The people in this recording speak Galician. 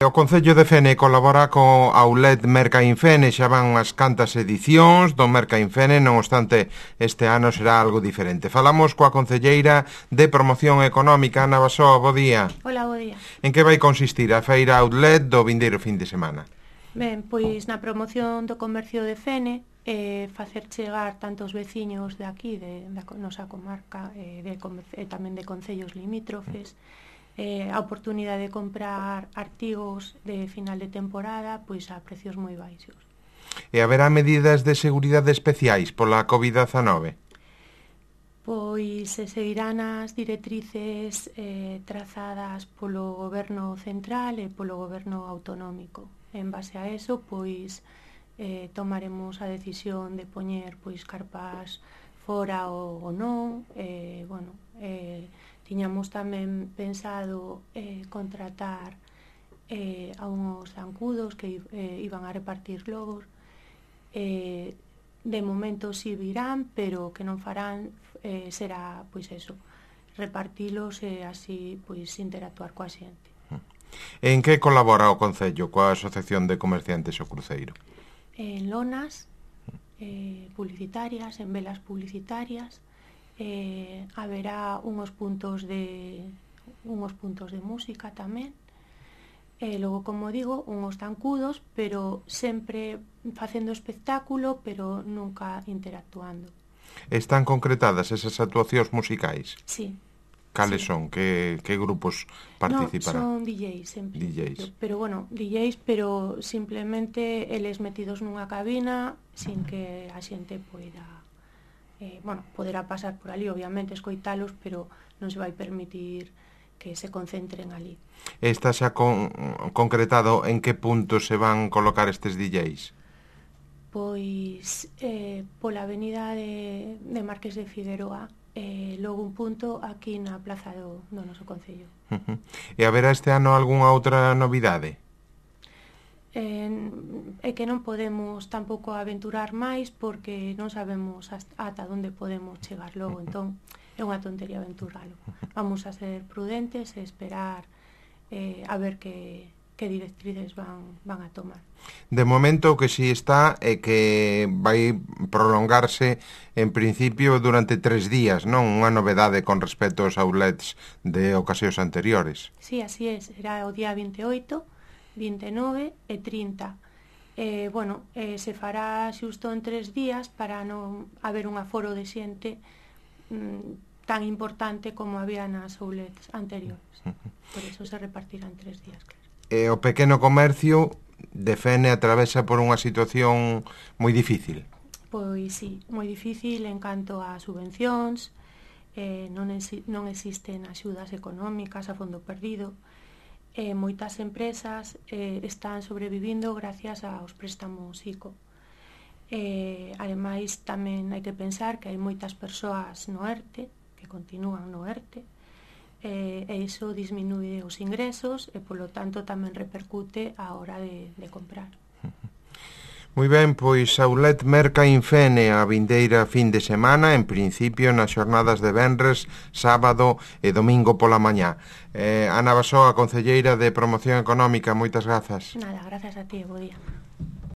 O Concello de Fene colabora co Outlet Mercainfene, xa van unhas cantas edicións do Mercainfene, non obstante este ano será algo diferente. Falamos coa concelleira de Promoción Económica, Ana Basoa, bo día. Hola, bo día. En que vai consistir a feira Outlet do vindeiro fin de semana? Ben, pois na promoción do comercio de Fene, facer chegar tanto os veciños de aquí, da nosa comarca, e tamén de concellos limítrofes, a oportunidade de comprar artigos de final de temporada pois a precios moi baixos. E haberá medidas de seguridade especiais pola COVID-19? Pois se seguirán as directrices trazadas polo goberno central e polo goberno autonómico. En base a eso, pois tomaremos a decisión de poñer pois carpas fora ou non. Tiñamos tamén pensado contratar a uns zancudos que iban a repartir globos. De momento si virán, pero que non farán será, pois eso, repartilos e así pois interactuar coa xente. En que colabora o Concello coa Asociación de Comerciantes O Cruceiro? En lonas publicitarias, en velas publicitarias, haberá unhos puntos de música tamén, logo, como digo, unhos zancudos, pero sempre facendo espectáculo, pero nunca interactuando. Están concretadas esas actuacións musicais? Sí. Cales sí. son? Que grupos participarán? No, son DJs sempre. DJs. Pero bueno, DJs, pero simplemente eles metidos nunha cabina sin que a xente poida poderá pasar por ali, obviamente, escoitalos, pero non se vai permitir que se concentren ali. Está xa concretado en que punto se van colocar estes DJs? Pois pola avenida de Marqués de Figueroa, logo un punto aquí na plaza do noso concello. E haberá este ano algunha outra novidade? É que non podemos tampouco aventurar máis porque non sabemos ata onde podemos chegar logo, entón é unha tontería aventuralo. Vamos a ser prudentes e esperar a ver que directrices van a tomar. De momento o que si está é que vai prolongarse en principio durante 3 días, non? Unha novedade con respecto aos outlets de ocasións anteriores. Sí, así é, será o día 28, 29 e 30. Se fará xusto en 3 días para non haber un aforo de xente tan importante como había nas outlets anteriores. Por eso se repartirán 3 días, claro. E o pequeno comercio de Fene atravesa por unha situación moi difícil. Pois sí, moi difícil en canto a subvencións, non existen axudas económicas a fondo perdido. Moitas empresas están sobrevivindo gracias aos préstamos ICO. Ademais, tamén hai que pensar que hai moitas persoas no ERTE, que continúan no ERTE, e iso disminuye os ingresos e, polo tanto, tamén repercute á hora de comprar. Moi ben, pois Outlet Mercainfene a vindeira fin de semana, en principio nas xornadas de venres, sábado e domingo pola mañá. Ana Basoa, concelleira de Promoción Económica, moitas grazas. Nada, grazas a ti, bo día.